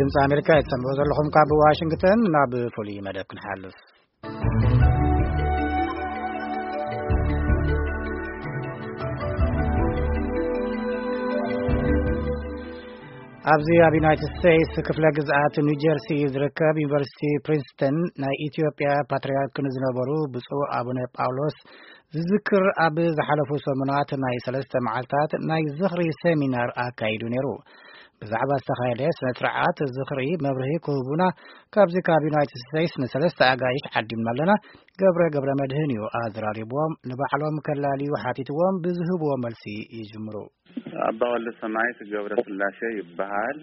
ድምፂ ኣሜሪካ እትሰምዑ ዘለኹም ካብ ዋሽንግተን። ናብ ፍሉይ መደብ ክንሓልፍ። ኣብዚ ኣብ ዩናይትድ ስቴትስ ክፍለ ግዝኣት ኒው ጀርሲ ዝርከብ ዩኒቨርሲቲ ፕሪንስተን ናይ ኢትዮጵያ ፓትርያርክ ንዝነበሩ ብፁዕ ኣቡነ ጳውሎስ ዝዝክር ኣብ ዝሓለፉ ሰሙናት ናይ ሰለስተ መዓልታት ናይ ዝኽሪ ሰሚናር ኣካይዱ ነይሩ። ብዛዕባ ዝተኻየደ ስነ ስርዓት ዝኽሪ መብርሂ ክህቡና ካብዚ ካብ ዩናይትድ ስቴትስ ንሰለስተ ኣጋይሽ ዓዲምና ኣለና። ገብረ ገብረ መድህን እዩ ኣዘራሪብዎም። ንባዕሎም ከላልዩ ሓቲትዎም ብዝህብዎ መልሲ ይጅምሩ። ኣባ ወልደ ሰማያት ገብረ ስላሴ ይበሃል።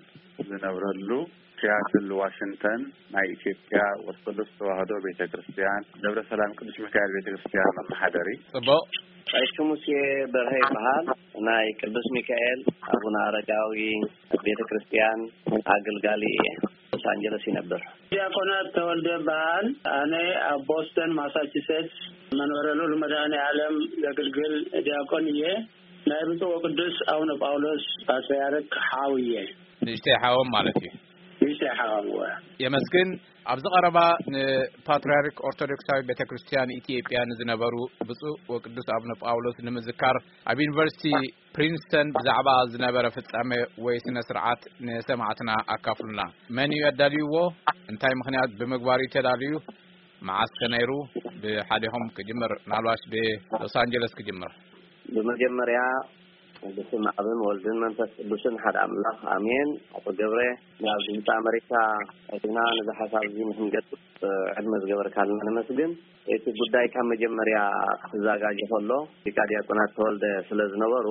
ዝነብረሉ ሲያትል ዋሽንግተን ናይ ኢትዮጵያ ኦርቶዶክስ ተዋህዶ ቤተ ክርስቲያን ደብረ ሰላም ቅዱስ ሚካኤል ቤተ ክርስቲያን መመሓደሪ። ጽቡቕ። ቀሺ ሙሴ በርሀ ይበሃል። ናይ ቅዱስ ሚካኤል ኣቡነ ኣረጋዊ ቤተ ክርስቲያን ኣገልጋሊ እየ። ሎስ ኣንጀለስ ይነብር። ዲያቆናት ተወልደ በሃል። ኣነ ኣብ ቦስተን ማሳቹሴትስ መንበረ ልዑል መድኃኔ ዓለም ዘገልግል ዲያቆን እየ። ናይ ብፁዕ ወቅዱስ ኣቡነ ጳውሎስ ፓትርያርክ ሓው እየ። ንእሽተይ ሓዎም ማለት እዩ። ንእሽተይ ሓዎም እወ። የመስግን። ኣብዚ ቀረባ ንፓትርያርክ ኦርቶዶክሳዊ ቤተ ክርስቲያን ኢትዮጵያ ንዝነበሩ ብፁዕ ወቅዱስ ኣቡነ ጳውሎስ ንምዝካር ኣብ ዩኒቨርሲቲ ፕሪንስተን ብዛዕባ ዝነበረ ፍጻሜ ወይ ስነ ስርዓት ንሰማዕትና ኣካፍሉና። መን እዩ ኣዳልይዎ? እንታይ ምኽንያት ብምግባር እዩ ተዳልዩ? መዓስ ከ ነይሩ? ብሓደኹም ክጅምር፣ ምናልባሽ ብሎስ ኣንጀለስ ክጅምር። ብመጀመርያ ብስም ኣብን ወልድን መንፈስ ቅዱስን ሓደ ኣምላኽ ኣሜን። ኣቶ ገብረ፣ ናብዚ ህንፃ ኣመሪካ ኣቲና ነዚ ሓሳብ እዚ ንክንገልፅ ዕድመ ዝገበርካልና ነመስግን። እቲ ጉዳይ ካብ መጀመርያ ክዘጋጀ ከሎ ሊቃ ዲያቆናት ተወልደ ስለ ዝነበሩ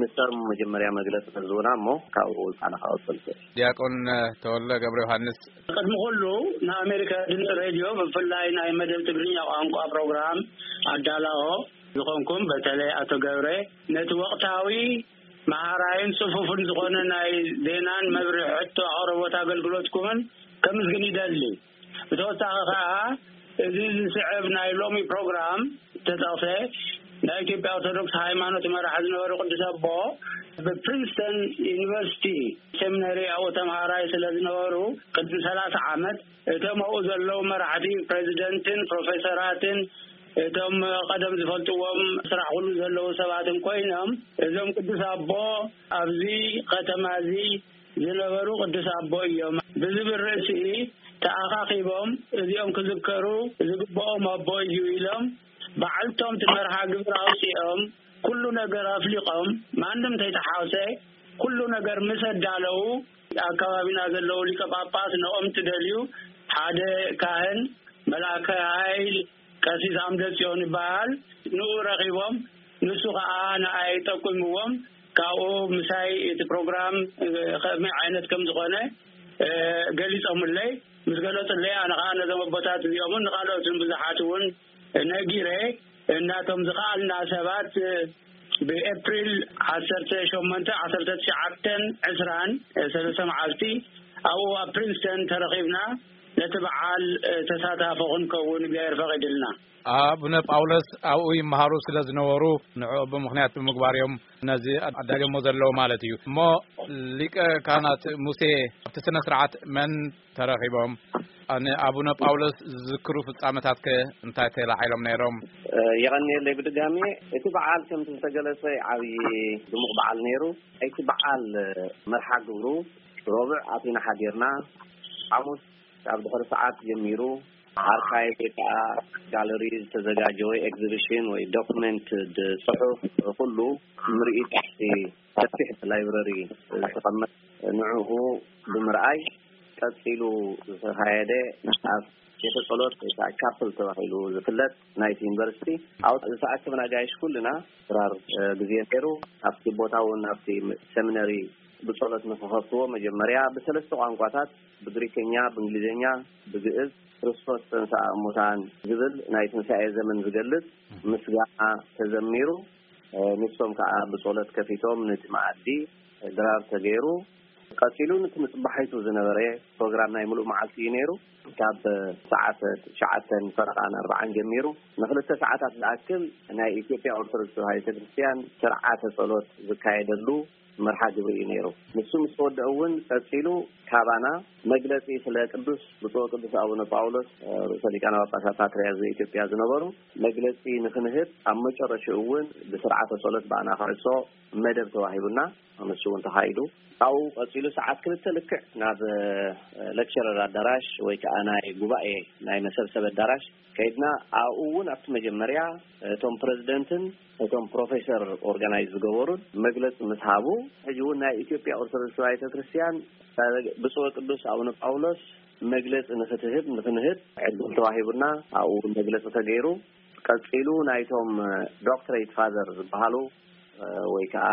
ንሶም መጀመርያ መግለፂ ክህቡና እሞ ካብኡ ውልቃና ክቐፅል። ዲያቆን ተወልደ ገብረ ዮሃንስ። ቅድሚ ኩሉ ንኣሜሪካ ድምፂ ሬድዮ ብፍላይ ናይ መደብ ትግርኛ ቋንቋ ፕሮግራም ኣዳላዎ ዝኾንኩም በተለይ ኣቶ ገብረ ነቲ ወቕታዊ መሃራይን ጽፉፍን ዝኾነ ናይ ዜናን መብርሒ ሕቶ ኣቕርቦት ኣገልግሎትኩምን ከምስግን ይደሊ። ብተወሳኺ ከኣ እዚ ዝስዕብ ናይ ሎሚ ፕሮግራም ዝተጠቕሰ ናይ ኢትዮጵያ ኦርቶዶክስ ሃይማኖት መራሒ ዝነበሩ ቅዱስ ኣቦ ብፕሪንስተን ዩኒቨርሲቲ ሴሚነሪ ኣብኡ ተምሃራይ ስለ ዝነበሩ ቅድሚ ሰላሳ ዓመት እቶም ኣብኡ ዘለዉ መራሕቲ ፕሬዚደንትን ፕሮፌሰራትን እቶም ቀደም ዝፈልጥዎም ስራሕ ኩሉ ዘለዉ ሰባትን ኮይኖም እዞም ቅዱስ ኣቦ ኣብዚ ከተማ እዚ ዝነበሩ ቅዱስ ኣቦ እዮም ብዝብል ርእሲ ተኣኻኺቦም እዚኦም ክዝከሩ ዝግብኦም ኣቦ እዩ ኢሎም በዓልቶም እቲ መርሃ ግብር ኣውፂኦም ኩሉ ነገር ኣፍሊቖም ማንም ተይተሓውሰ ኩሉ ነገር ምስ ኣዳለዉ ኣብ ከባቢና ዘለዉ ሊቀ ጳጳስ ንኦም ትደልዩ ሓደ ካህን መልኣከ ኃይል ቀሲስ ኣምደ ጽዮን ይበሃል። ንኡ ረኺቦም ንሱ ኸዓ ንኣይ ጠቁምዎም ካብኡ ምሳይ እቲ ፕሮግራም ከመይ ዓይነት ከም ዝኾነ ገሊጾምለይ ምስ ገለጹለይ ኣነ ኸዓ ነዞም ኣቦታት እዚኦምን ንኻልኦትን ብዙሓት እውን ነጊረ እናቶም ዝኸኣልና ሰባት ብኤፕሪል ዓሰርተ ሸሞንተ ዓሰርተ ትሽዓተን ዕስራን ሰለስተ መዓልቲ ኣብኡ ኣብ ፕሪንስተን ተረኺብና ነቲ በዓል ተሳታፎ ክንከውን እግዚኣብሔር ፈቒድልና። ኣቡነ ጳውሎስ ኣብኡ ይመሃሩ ስለ ዝነበሩ ንዕኡ ብምኽንያት ብምግባር እዮም ነዚ ኣዳልዮሞ ዘለዉ ማለት እዩ። እሞ ሊቀ ካህናት ሙሴ ኣብቲ ስነ ስርዓት መን ተረኺቦም? ንኣቡነ ጳውሎስ ዝዝክሩ ፍጻመታት ከ እንታይ ተላዒሎም ነይሮም? የቐንየለይ ብድጋሜ። እቲ በዓል ከምቲ ዝተገለጸ ዓብዪ ድሙቕ በዓል ነይሩ። እቲ በዓል መርሓ ግብሩ ሮብዕ ኣቲና ሓዲርና ሓሙስ ካብ ድሕሪ ሰዓት ጀሚሩ ኣርካይቭ ወይ ከዓ ጋለሪ ዝተዘጋጀወ ኤግዚቢሽን ወይ ዶክመንት ጽሑፍ ኩሉ ምርኢት ኣብቲ ሰፊሕ ላይብረሪ ዝተቐመጠ ንዕኡ ብምርኣይ ቀፂሉ ዝተኻየደ ኣብ ቤተ ጸሎት ወይ ከዓ ቻፕል ተባሂሉ ዝፍለጥ ናይቲ ዩኒቨርሲቲ ኣብኡ ዝተኣከብና ኣጋይሽ ኩልና ድራር ግዜ ነይሩ። ኣብቲ ቦታ እውን ኣብቲ ሰሚነሪ ብጸሎት ንክኸፍትዎ መጀመርያ ብሰለስተ ቋንቋታት ብግሪከኛ ብእንግሊዝኛ ብግእዝ ክርስቶስ ተንስኣ እሙታን ዝብል ናይ ትንሳኤ ዘመን ዝገልጽ ምስጋና ተዘሚሩ። ንሶም ከዓ ብጸሎት ከፊቶም ነቲ መኣዲ ድራር ተገይሩ። ቀጺሉ ነቲ ንጽባሒቱ ዝነበረ ፕሮግራም ናይ ምሉእ መዓልቲ እዩ ነይሩ። ካብ ሰዓት ትሽዓተን ፈረቓን ኣርባዓን ጀሚሩ ንክልተ ሰዓታት ዝኣክል ናይ ኢትዮጵያ ኦርቶዶክስ ተዋህዶ ቤተክርስትያን ስርዓተ ጸሎት ዝካየደሉ መርሓ ግብሪ እዩ ነይሩ። ንሱ ምስ ተወደአ እውን ቀጺሉ ካባና መግለጺ ስለ ቅዱስ ብፁዕ ቅዱስ ኣቡነ ጳውሎስ ርእሰ ሊቃነ ጳጳሳት ፓትርያርክ ዘኢትዮጵያ ዝነበሩ መግለጺ ንክንህብ፣ ኣብ መጨረሽኡ እውን ብስርዓተ ጸሎት ብኣና ክዕጾ መደብ ተዋሂቡና፣ ንሱ እውን ተኻይዱ። ካብኡ ቀጺሉ ሰዓት ክልተ ልክዕ ናብ ሌክቸረር ኣዳራሽ ወይ ከዓ ናይ ጉባኤ ናይ መሰብሰቢ ኣዳራሽ ከይድና፣ ኣብኡ እውን ኣብቲ መጀመርያ እቶም ፕረዚደንትን እቶም ፕሮፌሰር ኦርጋናይዝ ዝገበሩን መግለፂ ምስ ሃቡ፣ ሕጂ እውን ናይ ኢትዮጵያ ኦርቶዶክስ ተዋሕዶ ቤተክርስትያን ብፁዕ ቅዱስ ኣቡነ ጳውሎስ መግለፂ ንክትህብ ንክንህብ ዕድል ተዋሂቡና፣ ኣብኡ እውን መግለፂ ተገይሩ። ቀፂሉ ናይቶም ዶክትሬት ፋዘር ዝበሃሉ ወይ ከዓ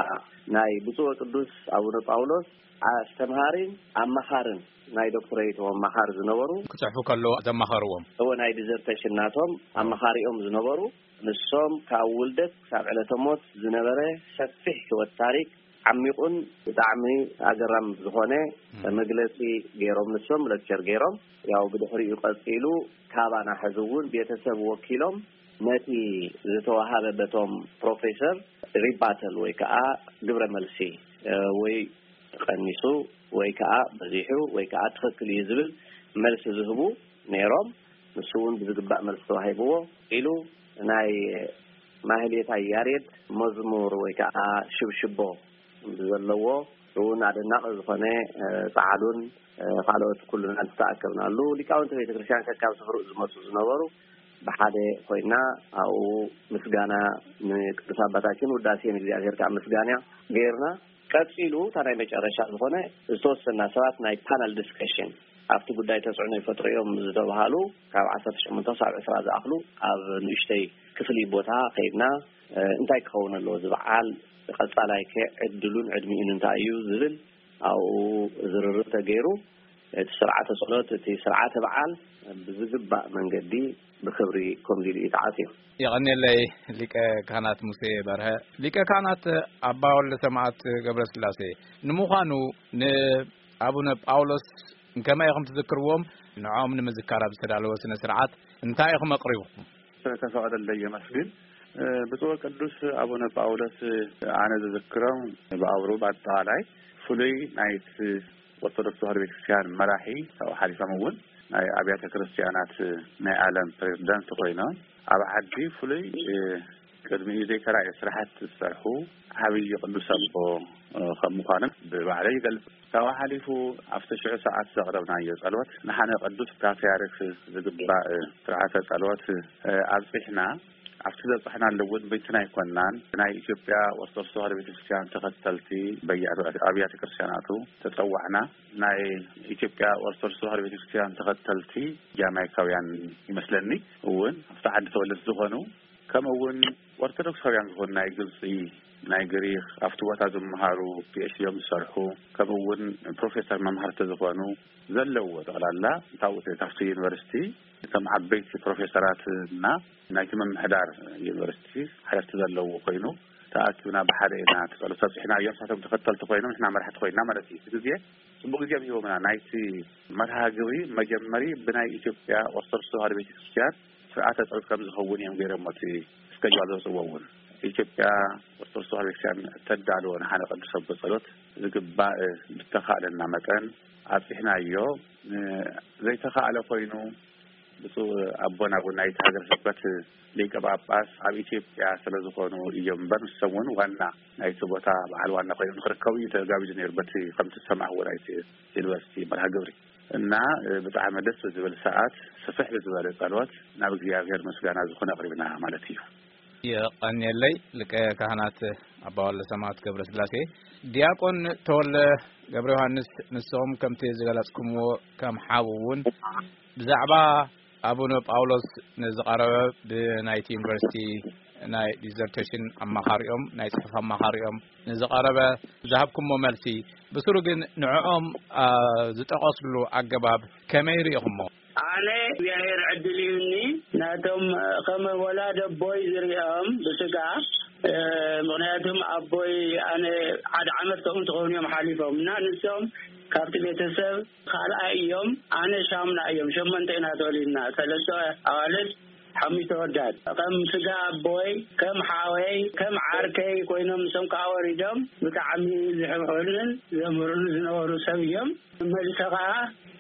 ናይ ብፁዕ ቅዱስ ኣቡነ ጳውሎስ ኣስተምሃሪን ኣማኻርን ናይ ዶክትሬት ኣማኻሪ ዝነበሩ፣ ክፅሕፉ ከለዉ ዘማኸርዎም። እወ፣ ናይ ዲዘርቴሽን ናቶም ኣማኻሪኦም ዝነበሩ፣ ንሶም ካብ ውልደት ክሳብ ዕለተ ሞት ዝነበረ ሰፊሕ ህይወት ታሪክ ዓሚቑን ብጣዕሚ ኣገራም ዝኾነ መግለፂ ገይሮም፣ ንሶም ሌክቸር ገይሮም። ያው ብድሕሪኡ ቀፂሉ ካባና ሕዚ እውን ቤተሰብ ወኪሎም ነቲ ዝተዋሃበ በቶም ፕሮፌሰር ሪባተል ወይ ከዓ ግብረ መልሲ ወይ ቀኒሱ ወይ ከዓ በዚሑ ወይ ከዓ ትኽክል እዩ ዝብል መልሲ ዝህቡ ነይሮም። ንሱ እውን ብዝግባእ መልሲ ተዋሂብዎ ኢሉ ናይ ማህሌታይ ያሬድ መዝሙር ወይ ከዓ ሽብሽቦ ዘለዎ እውን ኣደናቂ ዝኾነ ፃዓዱን ካልኦት ኩሉና ዝተኣከብናሉ ሊቃውንቲ ቤተክርስትያን ከካብ ስፍርኡ ዝመፁ ዝነበሩ ብሓደ ኮይና ኣብኡ ምስጋና ንቅዱስ ኣባታችን ውዳሴ ንእግዚኣብሔር ከዓ ምስጋና ገይርና ቀፂሉ እታ ናይ መጨረሻ ዝኾነ ዝተወሰና ሰባት ናይ ፓነል ዲስከሽን ኣብቲ ጉዳይ ተፅዕኖ ይፈጥሩ እዮም ዝተባሃሉ ካብ ዓሰርተ ሸሞንተ ክሳብ ዕስራ ዝኣኽሉ ኣብ ንእሽተይ ክፍሊ ቦታ ከይድና እንታይ ክኸውን ኣለዎ ዝበዓል ቀፃላይ ከ ዕድሉን ዕድሚኡን እንታይ እዩ ዝብል ኣብኡ ዝርርብ ተገይሩ እቲ ስርዓተ ጸሎት እቲ ስርዓተ በዓል ብዝግባእ መንገዲ ብክብሪ ኮምዲሉ እዩ ተዓትዩ። የቐንየለይ ሊቀ ካህናት ሙሴ በርሀ። ሊቀ ካህናት ኣባ ወልደ ሰማዕት ገብረ ስላሴ፣ ንምዃኑ ንኣቡነ ጳውሎስ ከመይ ኢኹም ትዝክርዎም? ንዕኦም ንምዝካር ኣብ ዝተዳለወ ስነ ስርዓት እንታይ ኢኹም ኣቕሪብኩም? ስለተፈቐደለይ የመስግን። ብፁዕ ቅዱስ ኣቡነ ጳውሎስ ኣነ ዝዝክሮም ብኣውሩ ብኣጠቓላይ ፍሉይ ናይቲ ኦርቶዶክስ ተዋህዶ ቤተክርስትያን መራሒ ካብኡ ሓሊፎም እውን ናይ ኣብያተ ክርስትያናት ናይ ዓለም ፕሬዝዳንት ኮይኖም ኣብ ዓዲ ፍሉይ ቅድሚኡ ዘይተራእየ ስራሕቲ ዝሰርሑ ዓብዪ ቅዱስ ኣቦ ከም ምዃኖም ብባዕለይ ይገልፅ። ካብኡ ሓሊፉ ኣብቲ ሽዑ ሰዓት ዘቕረብናዮ ጸሎት ንሓነ ቅዱስ ፓትርያርክ ዝግባእ ስርዓተ ጸሎት ኣብጺሕና ኣብቲ ዘብጻሕናሉ እውን ብይትን ኣይኮናን። ናይ ኢትዮጵያ ኦርቶዶክስ ተዋህዶ ቤተክርስትያን ተኸተልቲ በየኣብያተ ክርስትያናቱ ተጸዋዕና። ናይ ኢትዮጵያ ኦርቶዶክስ ተዋህዶ ቤተክርስትያን ተኸተልቲ ጃማይካውያን ይመስለኒ እውን ኣብቲ ዓዲ ተወለድቲ ዝኾኑ ከምኡ እውን ኦርቶዶክሳውያን ዝኾኑ ናይ ግብፂ፣ ናይ ግሪክ ኣብቲ ቦታ ዝመሃሩ ፒኤችዲኦም ዝሰርሑ ከምኡ እውን ፕሮፌሰር መምሃርቲ ዝኾኑ ዘለዎ ጠቕላላ ካብኡ ካብቲ ዩኒቨርሲቲ እቶም ዓበይቲ ፕሮፌሰራት እና ናይቲ ምምሕዳር ዩኒቨርሲቲ ሓለፍቲ ዘለዎ ኮይኑ ተኣኪብና ብሓደ ኢና እቲ ጸሎት ኣብፅሕና እዮም ንሳቶም ተኸተልቲ ኮይኖም ንሕና መራሕቲ ኮይና ማለት እዩ እቲ ግዜ ፅቡቅ ግዜ እዮም ሂቦምና ናይቲ መርሃ ግብሪ መጀመሪ ብናይ ኢትዮጵያ ኦርቶዶክስ ተዋህዶ ቤተክርስትያን ስርዓተ ጸሎት ከም ዝኸውን እዮም ገይሮሞ እቲ እስከጅዋል ዘውፅዎ እውን ኢትዮጵያ ኦርቶዶክስ ተዋህዶ ቤተክርስትያን ተዳልዎ ንሓነ ቅዱስ ኣቦ ጸሎት ዝግባእ ብተኻእለና መጠን ኣብፅሕናዮ ዘይተኻእለ ኮይኑ ብፁዕ ኣቦና እውን ናይቲ ሃገረ ስብከት ሊቀ ጳጳስ ኣብ ኢትዮጵያ ስለ ዝኾኑ እዮም እምበር ንሶም እውን ዋና ናይቲ ቦታ በዓል ዋና ኮይኖም ንክርከቡ እዩ ተጋቢዙ ነይሩ በቲ ከምቲ ዝሰማዕዎ ናይቲ ዩኒቨርሲቲ መርሃ ግብሪ እና ብጣዕሚ ደስ ብዝብል ሰዓት ስፍሕ ብዝበለ ጸሎት ናብ እግዚኣብሔር ምስጋና ዝኾነ ኣቕሪብና ማለት እዩ። የቐንየለይ ሊቀ ካህናት ኣባ ወልደ ሰማዕት ገብረ ስላሴ። ዲያቆን ተወልደ ገብረ ዮሃንስ ንስኹም ከምቲ ዝገለጽኩምዎ ከም ሓው እውን ብዛዕባ ኣቡነ ጳውሎስ ንዝቐረበ ብናይቲ ዩኒቨርሲቲ ናይ ዲዘርቴሽን ኣማኻሪኦም ናይ ጽሑፍ ኣማኻሪኦም ንዝቐረበ ዝሃብኩሞ መልሲ ብስሩ ግን ንዕኦም ዝጠቐስሉ ኣገባብ ከመይ ርኢኹሞ? ኣነ እግዚኣብሔር ዕድል ይሁኒ ናቶም ከም ወላድ ኣቦይ ዝሪኦም ብስጋ ምክንያቱም ኣቦይ ኣነ ሓደ ዓመት ከምኡ እንትኸውን እዮም ሓሊፎም እና ንሶም ካብቲ ቤተሰብ ካልኣይ እዮም ኣነ ሻምና እዮም ሸመንተ ኢና ተወሊድና ሰለስተ ኣዋልድ ሓሙሽተ ወዳት ከም ስጋ ኣቦይ፣ ከም ሓወይ፣ ከም ዓርከይ ኮይኖም፣ ንሶም ከዓ ወሪዶም ብጣዕሚ ዝሕብሑንን ዘምህሩኒ ዝነበሩ ሰብ እዮም። መልሰ ከዓ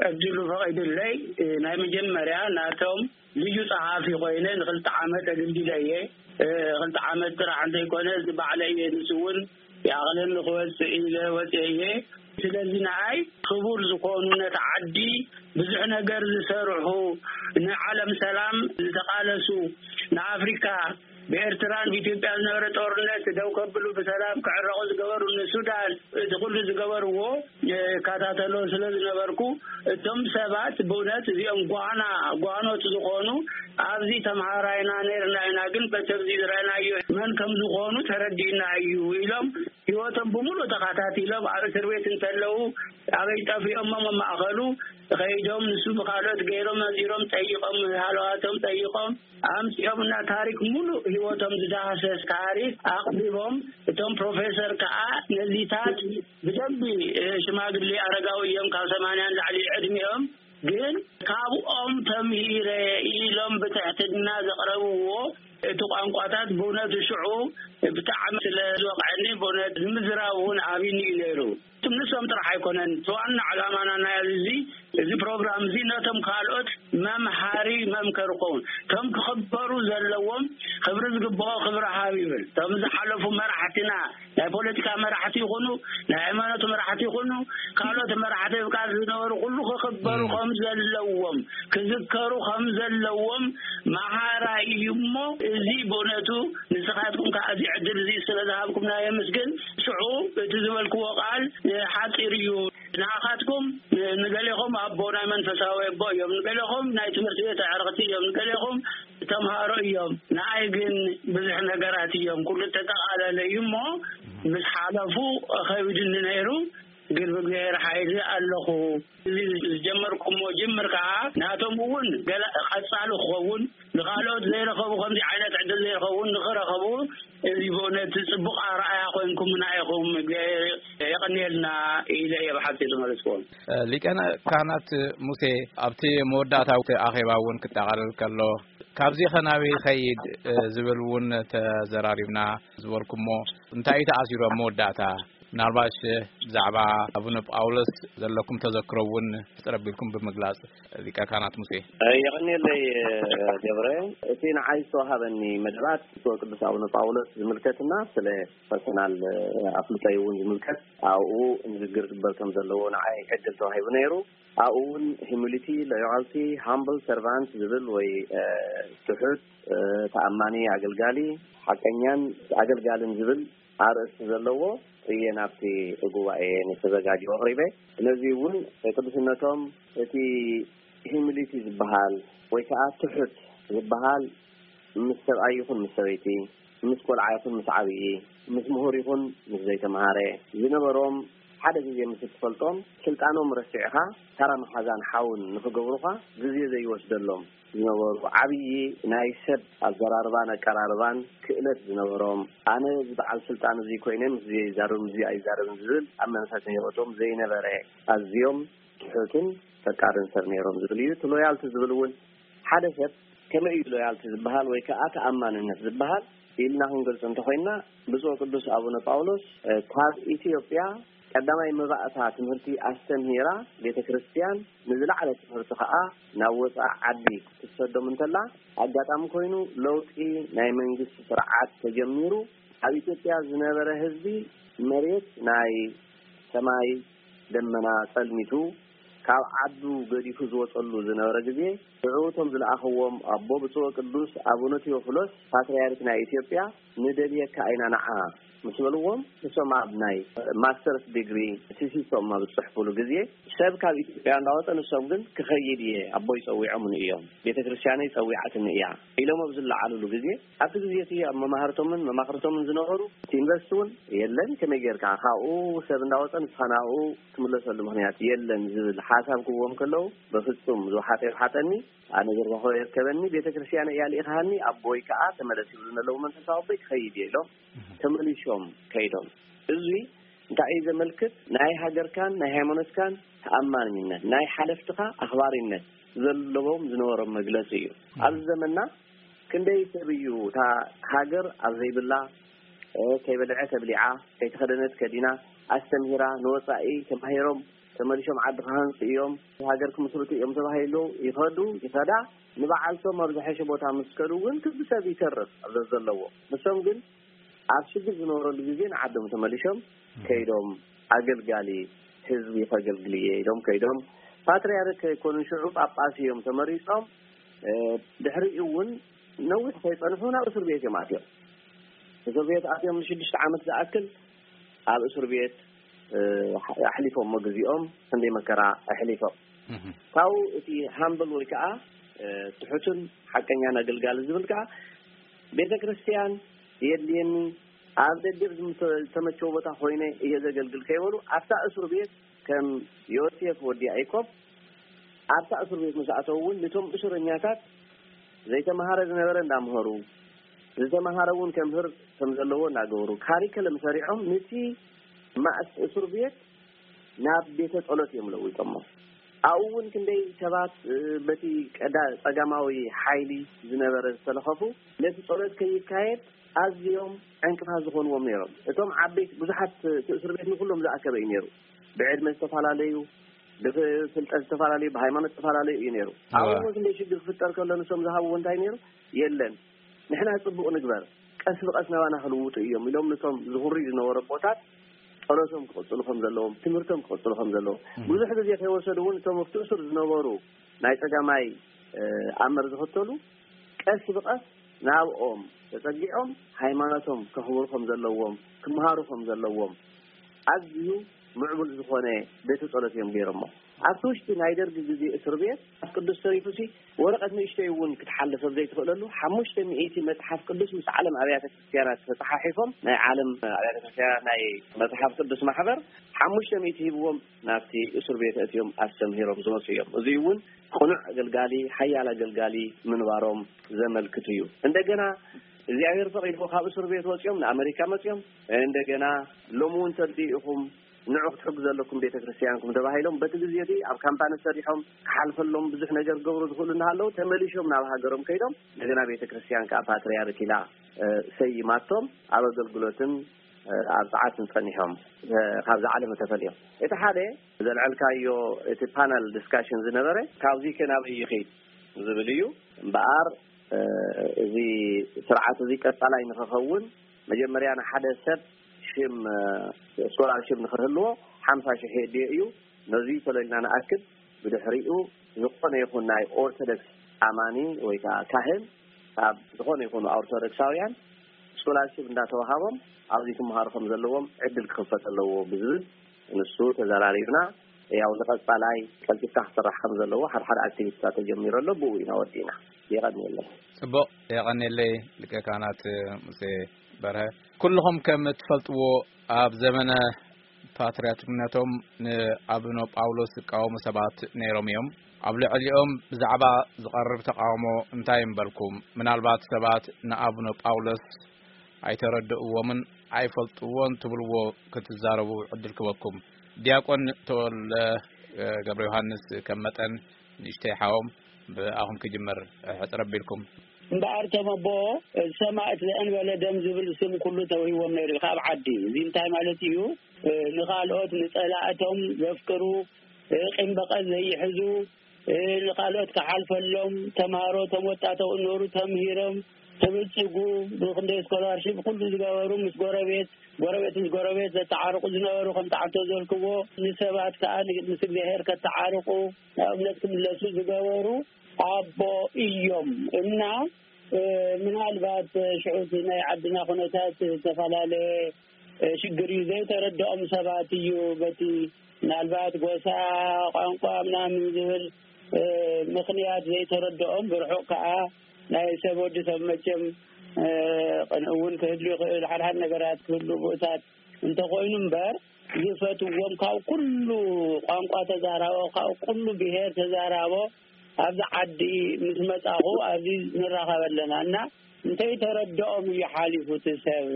ዕድሉ ፈቒዱለይ፣ እ፣ ናይ መጀመርያ ናቶም ልዩ ጸሓፊ ኮይነ ንኽልተ ዓመት ኣገልጊለ እየ። እ፣ ክልተ ዓመት ጥራሕ እንተይኮነ፣ እዚ ባዕለ እየ፣ ንሱ እውን ይኣኽለኒ ክወጽእ ኢለ ወጽኤ እየ። ስለዚ ንኣይ ክቡር ዝኾኑ፣ ነቲ ዓዲ ብዙሕ ነገር ዝሰርሑ፣ ንዓለም ሰላም ዝተቓለሱ፣ ንኣፍሪካ ብኤርትራን ብኢትዮጵያ ዝነበረ ጦርነት ደው ከብሉ፣ ብሰላም ክዕረቑ ዝገበሩ፣ ንሱዳን እቲ ኩሉ ዝገበርዎ እከታተሎ ስለ ዝነበርኩ፣ እቶም ሰባት ብእውነት እዚኦም ጓና፣ ጓኖት ዝኾኑ፣ ኣብዚ ተምሃራይና ነርና ኢና፣ ግን በቲ ኣብዚ ዝረኣናዮ መን ከም ዝኾኑ ተረዲእና እዩ ኢሎም፣ ህይወቶም ብምሉእ ተኸታቲሎም፣ ኣብ እስር ቤት እንተለዉ ኣበይ ጠፊኦሞ መማእኸሉ ከይዶም፣ ንሱ ብካልኦት ገይሮም፣ መዚሮም ጠይቆም፣ ሃለዋቶም ጠይቆም ኣምጺኦም እና፣ ታሪክ ሙሉእ ህይወቶም ዝዳህሰስ ታሪክ ኣቕሪቦም። እቶም ፕሮፌሰር ከዓ ነዚታት ብደንቢ፣ እ፣ ሽማግሌ ኣረጋዊ እዮም፣ ካብ ሰማንያ ንላዕሊ ዕድሚኦም። ግን ካብኦም ተምሂረ ኢሎም ብትሕትና ዘቕረብዎ፣ እቲ ቋንቋታት ብእውነቱ ሽዑ ብጣዕሚ ስለ ዝወቕዐኒ፣ ብእውነት ንምዝራብ እውን ኣብይኒ እዩ ነይሩ። ንሶም ጥራሕ ኣይኮነን፣ እቲ ዋና ዕላማና ናይ እዚ፣ እዚ ፕሮግራም እዚ ነቶም ካልኦት መምሃሪ መምከሪ ክኸውን፣ እቶም ክኽበሩ ዘለዎም ክብሪ ዝግብኦ ክብሪ ሃብ ይብል። እቶም ዝሓለፉ መራሕትና፣ ናይ ፖለቲካ መራሕቲ ይኹኑ፣ ናይ ሃይማኖት መራሕቲ ይኹኑ፣ ካልኦት መራሕቲ ብቃል ዝነበሩ ኩሉ ክኽበሩ ከም ዘለዎም፣ ክዝከሩ ከም ዘለዎም መሃራ እዩ እሞ፣ እዚ ብእውነቱ ንስኻትኩም ከዓ እዚ ዕድል እዚ ስለ ዝሃብኩምና የመስግን። ሽዑ እቲ ዝበልክዎ ቃል፣ እ፣ ሓፂር እዩ። ንዓኻትኩም፣ እ፣ ንገሌኹም ኣቦ ናይ መንፈሳዊ ኣቦ እዮም፣ ንገሌኹም ናይ ትምህርቲ ቤት ኣዕርኽቲ እዮም፣ ንገሌኹም ተምሃሮ እዮም። ንኣይ ግን ብዙሕ ነገራት እዮም፣ ኩሉ ተጠቓለለ እዩ እሞ፣ ምስ ሓለፉ ከቢድኒ ነይሩ። ግን ብእግዚኣብሔር ሓይሊ ኣለኹ። እዚ ዝጀመርኩሞ ጅምር ከዓ ናቶም እውን ገለ ቀጻሊ ክኸውን፣ ንኻልኦት ዘይረኸቡ፣ ከምዚ ዓይነት ዕድል ዘይረኸቡ ንኽረኸቡ፣ እዚ ብእውነት ጽቡቕ ኣርኣያ ኮይንኩምና ኢኹም። እግዚኣብሔር የቐንየልና ኢለ እየ ብሓጺር ዝመለስኩዎም። ሊቀ ካህናት ሙሴ፣ ኣብቲ መወዳእታዊ ኣኼባ እውን ክጠቓለል ከሎ፣ ካብዚ ኸ ናበይ ይኸይድ ዝብል እውን ተዘራሪብና ዝበልኩሞ፣ እንታይ እዩ ተኣሲሩ ኣብ መወዳእታ? ምናልባሽ ብዛዕባ ኣቡነ ጳውሎስ ዘለኩም ተዘክሮ እውን ሕጽር ኣቢልኩም ብምግላጽ፣ ሊቀ ካህናት ሙሴ። የቐንየለይ ገብረ። እቲ ንዓይ ዝተዋሃበኒ መደባት ብፁዕ ቅዱስ ኣቡነ ጳውሎስ ዝምልከትና ስለ ፐርሰናል ኣፍልጦይ እውን ዝምልከት ኣብኡ ንግግር ዝግበር ከም ዘለዎ ንዓይ ዕድል ተዋሂቡ ነይሩ። ኣብኡ እውን humility, loyalty, humble servant ዝብል ወይ፣ እ፣ ትሑት፣ እ፣ ተኣማኒ ኣገልጋሊ፣ ሓቀኛን ኣገልጋልን ዝብል ኣርእስቲ ዘለዎ እየ ናብቲ ጉባኤ ንተዘጋጀው ኣቕሪበ። ነዚ እውን ቅዱስነቶም እቲ humility ዝበሃል ወይ ከዓ ትሑት ዝበሃል ምስ ሰብኣይ ይኹን ምስ ሰበይቲ፣ ምስ ቆልዓ ይኹን ምስ ዓብዪ፣ ምስ ምሁር ይኹን ምስ ዘይተምሃረ ዝነበሮም ሓደ ግዜ ምስ እትፈልጦም ስልጣኖም ረሲዕኻ ተራ መሓዛን ሓውን ንኽገብሩኻ ግዜ ዘይወስደሎም ዝነበሩ ዓብዪ ናይ ሰብ ኣዘራርባን ኣቀራርባን ክእለት ዝነበሮም፣ ኣነ እዚ በዓል ስልጣን እዚ ኮይነ ምስዚ ይዛረብ ምስዚ ኣይዛረብን ዝብል ኣብ መንፈስ ህይወቶም ዘይነበረ ኣዝዮም ትሑትን ፈቃርን ሰብ ነይሮም ዝብል እዩ። እቲ ሎያልቲ ዝብል እውን ሓደ ሰብ ከመይ እዩ ሎያልቲ ዝበሃል ወይ ከዓ ተኣማንነት ዝበሃል ኢልና ክንገልጾ እንተኾይንና ብፁዕ ቅዱስ ኣቡነ ጳውሎስ፣ እ፣ ካብ ኢትዮጵያ ቀዳማይ መባእታ ትምህርቲ ኣስተምሂራ ቤተ ክርስቲያን ንዝለዓለ ትምህርቲ ከዓ ናብ ወፃኢ ዓዲ ክትሰዶም እንተላ ኣጋጣሚ ኮይኑ ለውጢ ናይ መንግስቲ ስርዓት ተጀሚሩ ኣብ ኢትዮጵያ ዝነበረ ህዝቢ መሬት ናይ ሰማይ ደመና ጸልሚቱ ካብ ዓዱ ገዲፉ ዝወጸሉ ዝነበረ ግዜ ሽዑ እቶም ዝለኣኽዎም ኣቦ ብፁዕ ቅዱስ ኣቡነ ቴዎፍሎስ ፓትርያርክ ናይ ኢትዮጵያ ንደልየካ ኢና ንዓ ምስ በልዎም ንሶም ኣብ ናይ ማስተርስ ዲግሪ ቲሲሶም ኣብ ዝጽሕፉሉ ግዜ ሰብ ካብ ኢትዮጵያ እንዳወጸ ንሶም ግን ክኸይድ እየ ኣቦይ ጸዊዖምኒ እዮም ቤተ ክርስቲያነይ ጸዊዓትኒ እያ ኢሎም ኣብ ዝለዓሉሉ ግዜ ኣብቲ ግዜ እቲ ኣብ መማህርቶምን መማኽርቶምን ዝነበሩ እቲ ዩኒቨርሲቲ እውን የለን ከመይ ጌርካ ካብኡ ሰብ እንዳወጸ ንስኻ ናብኡ ትምለሰሉ ምኽንያት የለን ዝብል ሓሳብ ክህቦም ከለዉ በፍጹም ዝወሓጠ ይውሓጠኒ ኣነ ዘርባኾ የርከበኒ ቤተ ክርስቲያን እያ ልኢኻሃኒ ኣቦይ ከዓ ተመለስ ይብሉ ዘለዉ መንፈሳዊ ኣቦይ ክኸይድ እየ ኢሎም ተመሊሾም ከይዶም እዚ እንታይ እዩ ዘመልክት ናይ ሃገርካን ናይ ሃይማኖትካን ተኣማንነት ናይ ሓለፍትኻ ኣኽባሪነት ዘለዎም ዝነበሮም መግለፂ እዩ ኣብዚ ዘመንና ክንደይ ሰብ እዩ እታ ሃገር ኣብ ዘይብላ፣ እ፣ ከይበልዐ ተብሊዓ፣ ከይተኸደነት ከዲና፣ ኣስተምሂራ፣ ንወጻኢ ተማሂሮም ተመሊሶም ዓዲ ክሃንጹ እዮም፣ ሃገር ክምስርቱ እዮም ተባሂሉ ይኸዱ፣ ይኸዳ። ንበዓልቶም ኣብ ዝሐሸ ቦታ ምስ ከዱ እውን ክቢ ሰብ ይተርፍ ኣብ ዘዘለዎ። ንሶም ግን ኣብ ሽግር ዝነበረሉ ግዜ ንዓዶም ተመሊሶም ከይዶም ኣገልጋሊ ህዝቢ ከገልግል እየ ኢሎም ከይዶም። ፓትርያርክ ከይኮኑ ሽዑ ጳጳስ እዮም ተመሪጾም። እ፣ ድሕሪኡ እውን ነዊሕ ከይጸንሑ ናብ እስር ቤት እዮም ኣትዮም። እስር ቤት ኣትዮም ንሽዱሽተ ዓመት ዝኣክል ኣብ እስር ቤት፣ እ፣ ኣሕሊፎም ግዜኦም፣ ክንደይ መከራ ኣሕሊፎም። እህ። ካብኡ እቲ ሃምብል ወይ ከዓ፣ እ፣ ትሑትን ሓቀኛን ኣገልጋሊ ዝብል ከዓ ቤተ ክርስቲያን የድልየኒ፣ ኣብ ደገ ዝተመቸወ ቦታ ኮይነ እየ ዘገልግል ከይበሉ፣ ኣብታ እስር ቤት ከም ዮሴፍ ወዲ ያዕቆብ ኣብታ እስር ቤት ምስ ኣተዉ እውን፣ ነቶም እስረኛታት ዘይተምሃረ ዝነበረ እንዳምሃሩ፣ ዝተምሃረ እውን ከምህር ከም ዘለዎ እናገበሩ፣ ካሪከለም ሰሪዖም፣ ነቲ ማእስ እስር ቤት ናብ ቤተ ጸሎት እዮም ለዊጦሞ። ኣብኡ እውን ክንደይ ሰባት፣ እ፣ በቲ ቀዳ-፣ ጸጋማዊ ሓይሊ ዝነበረ ዝተለኸፉ፣ ነቲ ጸሎት ከይካየድ ኣዝዮም ዕንቅፋት ዝኾንዎም ነይሮም። እቶም ዓበይቲ፣ ብዙሓት፣ እቲ እስር ቤት ንኩሎም ዝኣከበ እዩ ነይሩ። ብዕድመ ዝተፈላለዩ፣ ብፍልጠት ዝተፈላለዩ፣ ብሃይማኖት ዝተፈላለዩ እዩ ነይሩ። እዋ። ኣብኡ እውን ክንደይ ሽግር ክፍጠር ከሎ፣ ንሶም ዝሃብዎ እንታይ ነይሩ? የለን፣ ንሕና ጽቡቕ ንግበር፣ ቀስ ብቐስ ናባና ክልውጡ እዮም ኢሎም፣ ነቶም ዝኹሪ ዝነበሩ ኣቦታት ጸሎቶም ክቕጽሉ ከም ዘለዎም፣ ትምህርቶም ክቕጽሉ ከም ዘለዎም፣ እም። ብዙሕ ግዜ ከይወሰዱ እውን፣ እቶም ኣብቲ እስር ዝነበሩ ናይ ጸጋማይ፣ እ፣ ኣመር ዝኽተሉ፣ ቀስ ብቐስ ናብኦም ተጸጊዖም፣ ሃይማኖቶም ከኽብሩ ከም ዘለዎም፣ ክምሃሩ ከም ዘለዎም፣ ኣዝዩ ምዕቡል ዝኾነ ቤተ ጸሎት እዮም ገይሮሞ። ኣብቲ ውሽጢ ናይ ደርጊ ግዜ እስር ቤት፣ መጽሓፍ ቅዱስ ተሪፉሲ፣ ወረቐት ንእሽተይ እውን ክትሓልፍ ኣብ ዘይትኽእለሉ፣ ሓሙሽተ ሚእቲ መጽሓፍ ቅዱስ ምስ ዓለም ኣብያተ ክርስቲያናት ተጸሓሒፎም፣ ናይ ዓለም ኣብያተ ክርስቲያናት ናይ መጽሓፍ ቅዱስ ማሕበር ሓሙሽተ ሚእቲ ሂብዎም፣ ናብቲ እስር ቤት ኣእትዮም ኣስተምሂሮም ዝመጹ እዮም። እዚ እውን ቅኑዕ ኣገልጋሊ፣ ሓያል ኣገልጋሊ ምንባሮም ዘመልክት እዩ። እንደገና እግዚኣብሔር ፈቒድዎ ካብ እስር ቤት ወጺኦም ንኣመሪካ መጺኦም፣ እንደገና ሎሚ እውን ተድልዩ ኢኹም፣ ንዑ ክትሕግዙ ኣለኩም ቤተ ክርስቲያንኩም ተባሂሎም፣ በቲ ግዜ እቲ ኣብ ካምፓኒ ሰሪሖም ክሓልፈሎም ብዙሕ ነገር ክገብሩ ዝኽእሉ እናሃለዉ፣ ተመሊሾም ናብ ሃገሮም ከይዶም፣ እንደገና ቤተ ክርስቲያን ከዓ ፓትርያርክ ኢላ፣ እ፣ ሰይማቶም፣ ኣብ ኣገልግሎትን፣ እ፣ ኣብ ጸዓትን ጸኒሖም፣ እ፣ ካብዛ ዓለም ተፈልዮም። እቲ ሓደ ዘልዐልካዮ፣ እቲ ፓነል ዲስካሽን ዝነበረ፣ ካብዚ ከ ናበይ ይኸይድ ዝብል እዩ። እምበኣር፣ እ፣ እዚ ስርዓት እዚ ቀጻላይ ንኽኸውን፣ መጀመርያ ንሓደ ሰብ ሽም፣ እ፣ ስኮላርሽፕ ንኽህልዎ ሓምሳ ሽሕ የድልዮ እዩ። ነዚ ተለልና ንኣክል፣ ብድሕሪኡ ዝኾነ ይኹን ናይ ኦርቶዶክስ ኣማኒ ወይ ከዓ ካህን ካብ ዝኾነ ይኹኑ ኦርቶዶክሳውያን ስኮላርሽፕ እንዳተዋሃቦም ኣብዚ ክመሃሩ ከም ዘለዎም ዕድል ክኽፈት ኣለዎ ብዝብል ንሱ ተዘራሪብና። ያው ንቐጻላይ ቀልጢፍካ ክስራሕ ከም ዘለዎ ሓደ ሓደ ኣክቲቪቲታት ተጀሚሩ ኣሎ። ብኡ ኢና ወዲእና። የቐንየለይ። ጽቡቕ፣ የቐንየለይ ሊቀ ካህናት ሙሴ በርሀ። ኩልኹም ከም እትፈልጥዎ ኣብ ዘመነ ፓትርያርክነቶም ንኣቡነ ጳውሎስ ዝቃወሙ ሰባት ነይሮም እዮም። ኣብ ልዕሊኦም ብዛዕባ ዝቐርብ ተቃውሞ እንታይ እምበልኩም? ምናልባት ሰባት ንኣቡነ ጳውሎስ ኣይተረድእዎምን ኣይፈልጥዎን ትብልዎ ክትዛረቡ ዕድል ክበኩም። ዲያቆን ተወልደ፣ እ፣ ገብረ ዮሃንስ ከም መጠን ንእሽተይ ሓዎም ብኣኹም ክጅምር፣ እ፣ ሕጽር ኣቢልኩም። እምበኣር እቶም ኣቦ ሰማእት ዘእንበለ ደም ዝብል ስም ኩሉ ተውሂዎም ነይሩ እዩ ካብ ዓዲ። እዚ እንታይ ማለት እዩ? እ፣ ንኻልኦት ንጸላእቶም ዘፍቅሩ፣ እ፣ ቂም በቐል ዘይሕዙ፣ እ፣ ንኻልኦት ክሓልፈሎም፣ ተምሃሮ፣ እቶም ወጣተው እኖሩ ተምሂሮም ክብልጽጉ፣ ብክንደይ ስኮላርሺፕ ኩሉ ዝገበሩ፣ ምስ ጎረቤት፣ ጎረቤት ምስ ጎረቤት ዘተዓርቁ ዝነበሩ፣ ከምቲ ዓንቶ ዘልክዎ፣ ንሰባት ከኣ ን-፣ ምስ እግዚኣብሔር ከተዓርቁ፣ ናብ እምነት ክምለሱ ዝገበሩ ኣቦ እዮም። እና፣ እ፣ ምናልባት ሽዑ እቲ ናይ ዓድና ኩነታት ዝተፈላለየ እ፣ ሽግር እዩ። ዘይተረድኦም ሰባት እዩ በቲ ምናልባት ጎሳ፣ ቋንቋ ምናምን ዝብል፣ እ፣ ምኽንያት ዘይተረድኦም፣ ብርሑቕ ከኣ ናይ ሰብ ወዲ ሰብ መቸም፣ እ፣ ቅንኢ እውን ክህሉ ይኽእል፣ ሓድሓድ ነገራት ክህሉ ብኡታት እንተኾይኑ እምበር፣ ዝፈትዎም ካብ ኩሉ ቋንቋ ተዛራቦ፣ ካብ ኩሉ ብሄር ተዛራቦ፣ ኣብዚ ዓዲ ምስ መጻኹ ኣብዚ ንራኸብ ኣለና እና እንተይተረድኦም እዩ ሓሊፉ እቲ ሰብ።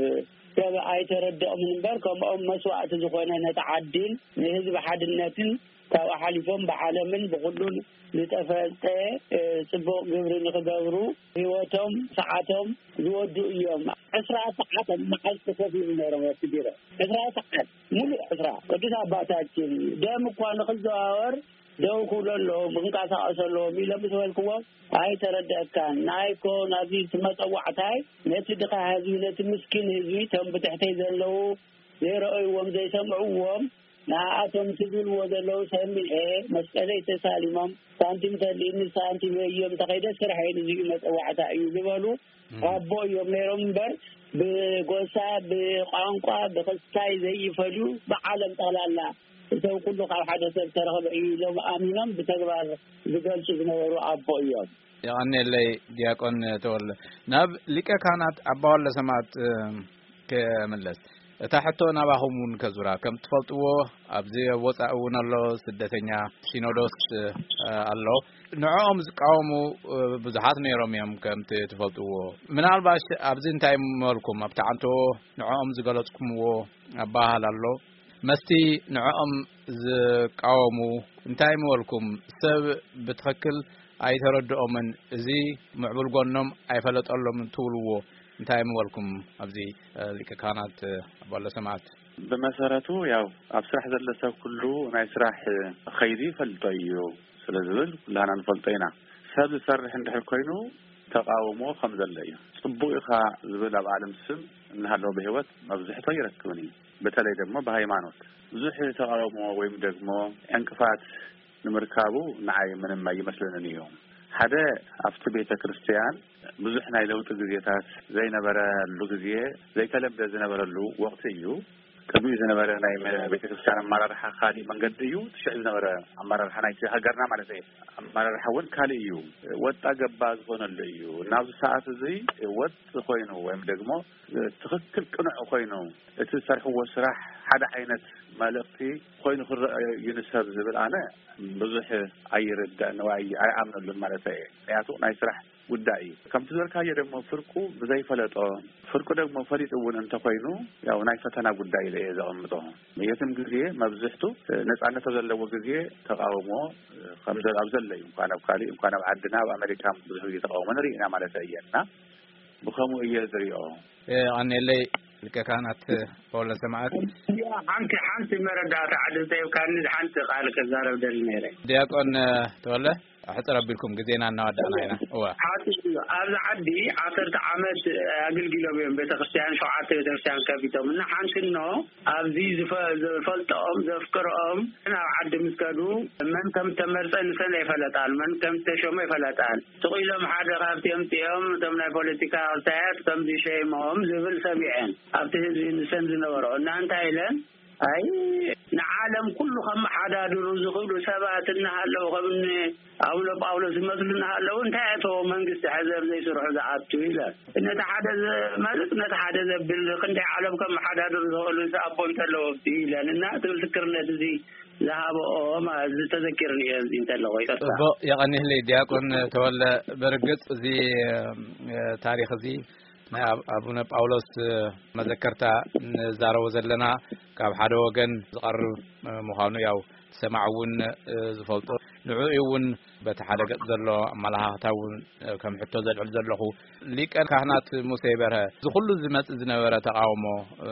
ሰብ ኣይተረድኦምን እምበር ከምኦም መስዋእቲ ዝኾነ ነቲ ዓዲን ንህዝቢ ሓድነትን ካብኡ ሓሊፎም ብዓለምን ብኹሉን ዝተፈልጠ፣ እ፣ ጽቡቕ ግብሪ ንኽገብሩ ህይወቶም፣ ሰዓቶም ዝወዱ እዮም። ዕስራ ሰዓት መዓልቲ ኮፍ ኢሉ ነይሮም ኣብቲ ቢሮ። ዕስራ ሰዓት፣ ሙሉእ ዕስራ። ቅዱስ ኣባታችን ደም እኳ ንኽዘዋወር ደው ክብሉ ኣለዎም፣ ክንቀሳቐሱ ኣለዎም ኢለ ምስ በልክዎም፣ "ኣይተረድአካን። ንኣይ እኮ ናብዚ እቲ መጸዋዕታይ ነቲ ድኻ ህዝቢ፣ ነቲ ምስኪን ህዝቢ፣ እቶም ብትሕተይ ዘለዉ ዘይረኣይዎም፣ ዘይሰምዕዎም፣ ንኣቶም እቲ ዝብልዎ ዘለዉ ሰሚዐ፣ መስቀለይ ተሳሊሞም፣ ሳንቲም ተልእኒ፣ ሳንቲም የዮም፣ ተኸይደ ስርሐይ፣ ንዚኡ መጸዋዕታ እዩ" ዝበሉ ኣቦ እዮም ነይሮም እምበር፣ ብጎሳ፣ ብቋንቋ፣ ብክስታይ ዘይፈልዩ፣ ብዓለም ጠቕላላ፣ እቶም ኩሉ ካብ ሓደ ሰብ ተረኽበ እዩ ኢሎም ኣሚኖም ብተግባር ዝገልጹ ዝነበሩ ኣቦ እዮም። የቐንየለይ ዲያቆን ተወልደ። ናብ ሊቀ ካህናት ኣባ ወልደ ሰማዕት፣ እ፣ ክምለስ። እታ ሕቶ ናባኹም እውን ከዙራ። ከም ትፈልጥዎ፣ ኣብዚ ኣብ ወጻኢ እውን ኣሎ፣ ስደተኛ ሲኖዶስ፣ እ፣ ኣሎ። ንዕኦም ዝቃወሙ፣ እ፣ ብዙሓት ነይሮም እዮም፣ ከምቲ ትፈልጥዎ። ምናልባሽ ኣብዚ እንታይ ምበልኩም? ኣብቲ ዓንቶ ንዕኦም ዝገለጽኩምዎ ኣበሃህላ ኣሎ። መስቲ ንዕኦም ዝቃወሙ እንታይ ምበልኩም? ሰብ ብትኽክል ኣይተረድኦምን፣ እዚ ምዕቡል ጎኖም ኣይፈለጠሎምን ትብልዎ እንታይ ምበልኩም? ኣብዚ፣ እ፣ ሊቀ ካህናት፣ እ፣ ኣባ ወልደ ሰማዕት። ብመሰረቱ፣ ያው፣ ኣብ ስራሕ ዘሎ ሰብ ኩሉ ናይ ስራሕ ኸይዲ ይፈልጦ እዩ ስለ ዝብል፣ ኩላህና ንፈልጦ ኢና። ሰብ ዝሰርሕ እንድሕር ኮይኑ፣ ተቃውሞ ከም ዘሎ እዩ። ጽቡቅ ኢኻ ዝብል ኣብ ዓለም ስም እናሃለወ ብህይወት መብዝሕቶ ይረክብን እዩ። በተለይ ደግሞ ብሃይማኖት ብዙሕ ተቃውሞ ወይም ደግሞ ዕንቅፋት ንምርካቡ ንዓይ ምንም ኣይመስለንን እዩ። ሓደ፣ ኣብቲ ቤተ ክርስቲያን ብዙሕ ናይ ለውጢ ግዜታት ዘይነበረሉ ግዜ፣ ዘይተለምደ ዝነበረሉ ወቕቲ እዩ። ቅድሚኡ ዝነበረ ናይ መ-፣ ቤተ ክርስቲያን ኣመራርሓ ካሊእ መንገዲ እዩ። እቲ ሽዑ ዝነበረ ኣመራርሓ ናይቲ ሃገርና ማለት እዩ። ኣመራርሓ እውን ካሊእ እዩ። ወጣ ገባ ዝኾነሉ እዩ። ናብዚ ሰዓት እዚ ወጥ ኮይኑ ወይም ደግሞ ትኽክል ቅኑዕ ኮይኑ እቲ ዝሰርሕዎ ስራሕ ሓደ ዓይነት መልእኽቲ ኮይኑ ክረአ እዩ ንሰብ ዝብል ኣነ ብዙሕ ኣይርዳእን ወይ ኣይኣምነሉን ማለት እየ። ምክንያቱ ናይ ስራሕ ጉዳይ እዩ። ከምቲ ዝበልካዮ ደግሞ ፍርቁ ብዘይፈለጦ፣ ፍርቁ ደግሞ ፈሊጡ እውን እንተኮይኑ ያው ናይ ፈተና ጉዳይ ኢለ እየ ዘቐምጦ። የትም ግዜ መብዝሕቱ ነጻነት ኣብ ዘለዎ ግዜ ተቃውሞ ከም ዘ-፣ ኣብ ዘሎ እዩ። እንኳን ኣብ ካሊእ፣ እንኳን ኣብ ዓድና፣ ኣብ ኣሜሪካ ብዙሕ ግዜ ተቃውሞ ንርኢ ኢና ማለት እየ። እና ብኸምኡ እየ ዝሪኦ። የቐንየለይ ሊቀ ካህናት ፓውሎስ ሰማዕት። እያ፣ ሓንቲ፣ ሓንቲ መረዳእታ ዕድል ተሂብካኒ፣ ሓንቲ ቃል ክዛረብ ደሊ ነይረ። ዲያቆን ተወለ፣ ኣሕጽር ኣቢልኩም ግዜና እናወዳእና ኢና። እወ። ሓንቲ እዩ። ኣብዚ ዓዲ ዓሰርተ ዓመት ኣገልጊሎም እዮም ቤተክርስትያን፣ ሸውዓተ ቤተክርስትያን ከፊቶም። እና ሓንቲ እኖ ኣብዚ ዝፈ-፣ ዝፈልጦም፣ ዘፍቅሮም፣ ናብ ዓዲ ምስ ከዱ፣ መን ከም ተመርጸ ንሰን ኣይፈለጣን፣ መን ከም ተሾመ ኣይፈለጣን። ስቕ ኢሎም ሓደ ካብቲ ኣምጺኦም፣ እቶም ናይ ፖለቲካ ክልታያት ከምዚ ሸይሞም ዝብል ሰሚዐን። ኣብቲ ህዝቢ ንሰን ዝነበሮ። እና እንታይ ኢለን? ኣይ፣ ንዓለም ኩሉ ከመሓዳድሩ ዝኽእሉ ሰባት እናሃለዉ፣ ከም እኒ ኣቡነ ጳውሎስ ዝመስሉ እናሃለዉ፣ እንታይ ኣእተዎ መንግስቲ ሕዘብ ዘይስርሑ ዝኣቱ ኢለን። ነቲ ሓደ ዘ-፣ ማለት ነቲ ሓደ ዘብል ክንደይ ዓለም ከመሓዳድሩ ዝኽእሉ እዚ ኣቦ እንተለዎ ኢለን። እና እቲ ምስክርነት እዚ ዝሃበኦ ማ-፣ እዚ ተዘኪርኒ እየ፣ እዚ እንተለዎ፣ ይቅርታ። ጽቡቕ፣ የቐንየለይ ዲያቆን ተወለ። ብርግጽ እዚ፣ እ፣ ታሪኽ እዚ ናይ ኣብ-፣ ኣቡነ ጳውሎስ መዘከርታ ንዛረቦ ዘለና ካብ ሓደ ወገን ዝቐርብ ምዃኑ ያው ሰማዕ እውን ዝፈልጦ፣ ንዕኡ እውን በቲ ሓደ ገጽ ዘሎ ኣመለኻኽታ እውን ከም ሕቶ ዘልዕል ዘለኹ፣ ሊቀ ካህናት ሙሴ በርሀ፣ እዚ ኩሉ ዝመጽእ ዝነበረ ተቃውሞ፣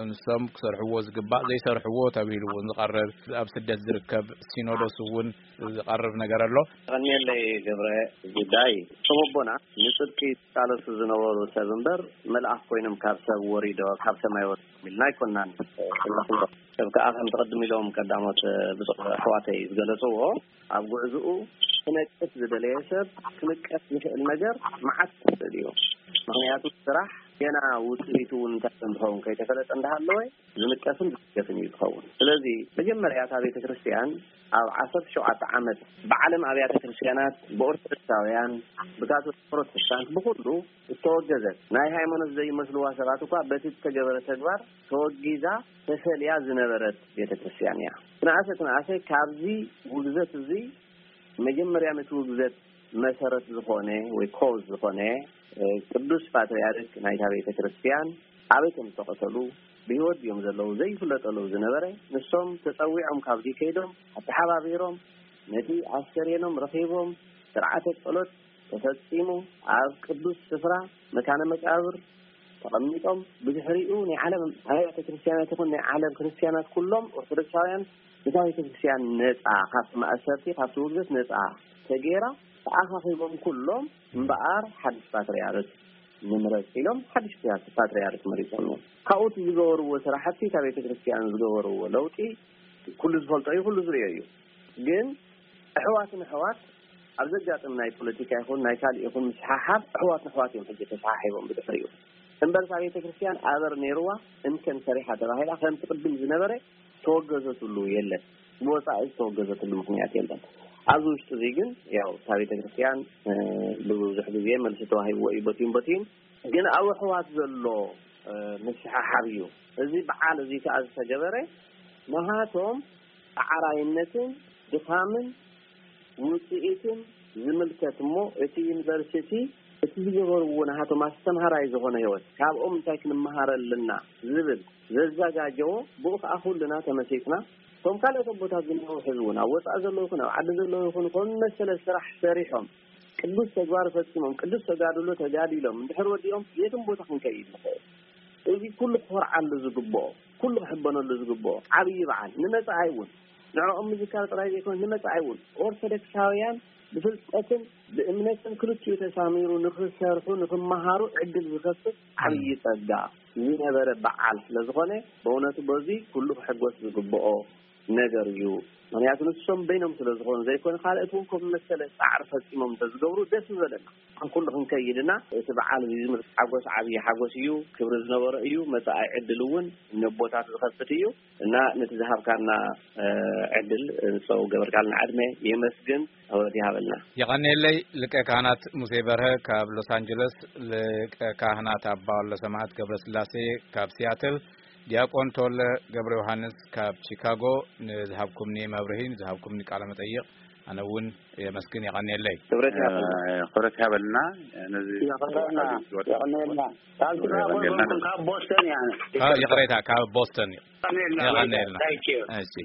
ንሶም ክሰርሕዎ ዝግባእ ዘይሰርሕዎ ተባሂሉ እውን ዝቐርብ፣ ኣብ ስደት ዝርከብ ሲኖዶስ እውን ዝቐርብ ነገር ኣሎ። ቀኒየለይ ገብረ፣ ጉዳይ እቶም ኣቦና ንጽድቂ ይቃለሱ ዝነበሩ ሰብ እምበር፣ መልኣኽ ኮይኖም ካብ ሰብ ወሪዶ፣ ካብ ሰማይ ወሪዶም ኢልና ኣይኮናን እንብሎ። ሰብ ከኣ ከምቲ ቅድም ኢሎም ቀዳሞት ብፁዕ ኣሕዋተይ ዝገለጽዎ፣ ኣብ ጉዕዝኡ ክነቅፍ ዝደለየ ሰብ ክንቀፍ ዝኽእል ነገር መዓት ይኽእል እዩ። ምኽንያቱ ስራሕ ገና ውጽኢቱ እውን እንታይ ከም ዝኸውን ከይተፈለጠ እንዳሃለወ ዝንቀፍን ዝስገፍን እዩ ዝኸውን። ስለዚ መጀመርያ እታ ቤተ ክርስቲያን ኣብ ዓሰርተ ሸውዓተ ዓመት ብዓለም ኣብያተ ክርስቲያናት፣ ብኦርቶዶክሳውያን፣ ብካቶሊክ ፕሮቴስታንት፣ ብኹሉ እተወገዘት፣ ናይ ሃይማኖት ዘይመስልዋ ሰባት እኳ በቲ እተገበረ ተግባር ተወጊዛ ተፈልያ ዝነበረት ቤተ ክርስቲያን እያ። ትንኣሰ ትንኣሰ ካብዚ ውግዘት እዚ መጀመርያ ነቲ ውግዘት መሰረት ዝኾነ ወይ ኮዝ ዝኾነ፣ እ፣ ቅዱስ ፓትርያርክ ናይታ ቤተ ክርስቲያን ኣበይ ከም ዝተቐተሉ፣ ብህይወት ድዮም ዘለዉ ዘይፍለጠሉ ዝነበረ፣ ንሶም ተጸዊዖም ካብዚ ከይዶም ኣተሓባቢሮም ነቲ ኣስከሬኖም ረኺቦም ስርዓተ ጸሎት ተፈጺሙ ኣብ ቅዱስ ስፍራ መካነ መቃብር ተቐሚጦም፣ ብድሕሪኡ ናይ ዓለም ኣብያተ ክርስቲያናት ይኹን ናይ ዓለም ክርስቲያናት ኩሎም ኦርቶዶክሳውያን ነታ ቤተ ክርስቲያን ነጻ፣ ካብቲ ማእሰርቲ፣ ካብቲ ውግዘት ነጻ ተገይራ ተኣኻኺቦም ኩሎም እምበኣር ሓድሽ ፓትርያርክ ንምረጽ ኢሎም ሓድሽ ፓትርያርክ መሪጾም እዮም። ካብኡ እቲ ዝገበርዎ ስራሕቲ፣ እታ ቤተ ክርስቲያን ዝገበርዎ ለውጢ ኩሉ ዝፈልጦ እዩ፣ ኩሉ ዝርእዮ እዩ። ግን ኣሕዋትን ኣሕዋት ኣብ ዘጋጥም ናይ ፖለቲካ ይኹን ናይ ካልእ ይኹን ምስሓሓብ ኣሕዋት ንኣሕዋት እዮም ሕጂ ተሰሓሒቦም ብድሕሪኡ። እምበር እታ ቤተ ክርስቲያን ኣበር ነይርዋ እንከን ሰሪሓ ተባሂላ ከምቲ ቅድም ዝነበረ ተወገዘትሉ የለን። ብወጻኢ ዝተወገዘትሉ ምኽንያት የለን። ኣብዚ ውሽጢ እዚ ግን ያው እታ ቤተ ክርስቲያን ብብዙሕ ግዜ መልሲ ተዋሂብዎ እዩ በቲዩን በቲዩን። ግን ኣብ ኣሕዋት ዘሎ ምስሓሓብ እዩ። እዚ በዓል እዚ ከኣ ዝተገበረ ንሃቶም ጻዕራይነትን ድኻምን ውጽኢትን ዝምልከት እሞ፣ እቲ ዩኒቨርሲቲ እቲ ዝገበርዎ ንሃቶም ኣስተምሃራይ ዝኾነ ህይወት ካብኦም እንታይ ክንመሃር ኣለና ዝብል ዘዘጋጀዎ፣ ብኡ ከኣ ኩልና ተመሲጥና። እቶም ካልኦት ኣቦታት ዝነበሩ ሕዚ እውን ኣብ ወጻኢ ዘለዉ ይኹን ኣብ ዓዲ ዘለዉ ይኹን ከም መሰለ ስራሕ ሰሪሖም ቅዱስ ተግባር ፈጺሞም ቅዱስ ተጋድሎ ተጋዲሎም እንድሕር ወዲኦም የትም ቦታ ክንከይድ ንኽእል። እዚ ኩሉ ክኾርዓሉ ዝግብኦ፣ ኩሉ ክሕበነሉ ዝግብኦ ዓብዪ በዓል ንመጻኢ እውን ንዕኦም ምዝካር ጥራይ ዘይኮነ ንመጻኢ እውን ኦርቶዶክሳውያን ብፍልጠትን ብእምነትን ክልቲኡ ተሳሚሩ ንኽሰርሑ ንኽመሃሩ ዕድል ዝኸፍት ዓብዪ ጸጋ ዝነበረ በዓል ስለ ዝኾነ ብእውነቱ በዚ ኩሉ ክሕጎስ ዝግብኦ ነገር እዩ። ምኽንያቱ ንሶም በይኖም ስለ ዝኾኑ ዘይኮነ ካልኦት እውን ከም መሰለ ጻዕሪ ፈጺሞም እንተዝገብሩ ደስ ምበለና። ከም ኩሉ ክንከይድና እቲ በዓል እዚ ዝምልከት ሓጎስ ዓብዪ ሓጎስ እዩ፣ ክብሪ ዝነበሮ እዩ። መጻኢ ዕድል እውን ነቦታት ዝኸፍት እዩ እና ነቲ ዝሃብካና ዕድል ንሰው ገበርካልና ዕድመ የመስግን። ክብረት ይሃበልና። የቐንየለይ ሊቀ ካህናት ሙሴ በርሀ ካብ ሎስ ኣንጀለስ፣ ሊቀ ካህናት ኣባ ወልደ ሰማዕት ገብረ ስላሴ ካብ ሲያትል፣ ዲያቆን ተወለ ገብረ ዮሃንስ ካብ ቺካጎ ንዝሃብኩምኒ መብርሂ፣ ንዝሃብኩምኒ ቃለ መጠይቕ ኣነ እውን የመስግን። የቐንየለይ። ክብረት ይሃበልና። ክብረት ይሃበልና። ነዚ የቐንየልና። ካብ ቺካጎ የቐንየልና። ይኹን ካብ ቦስተን እያ። ይቕሬታ፣ ካብ ቦስተን እዩ። የቐንየልና። የቐንየልና። Thank you። እሺ።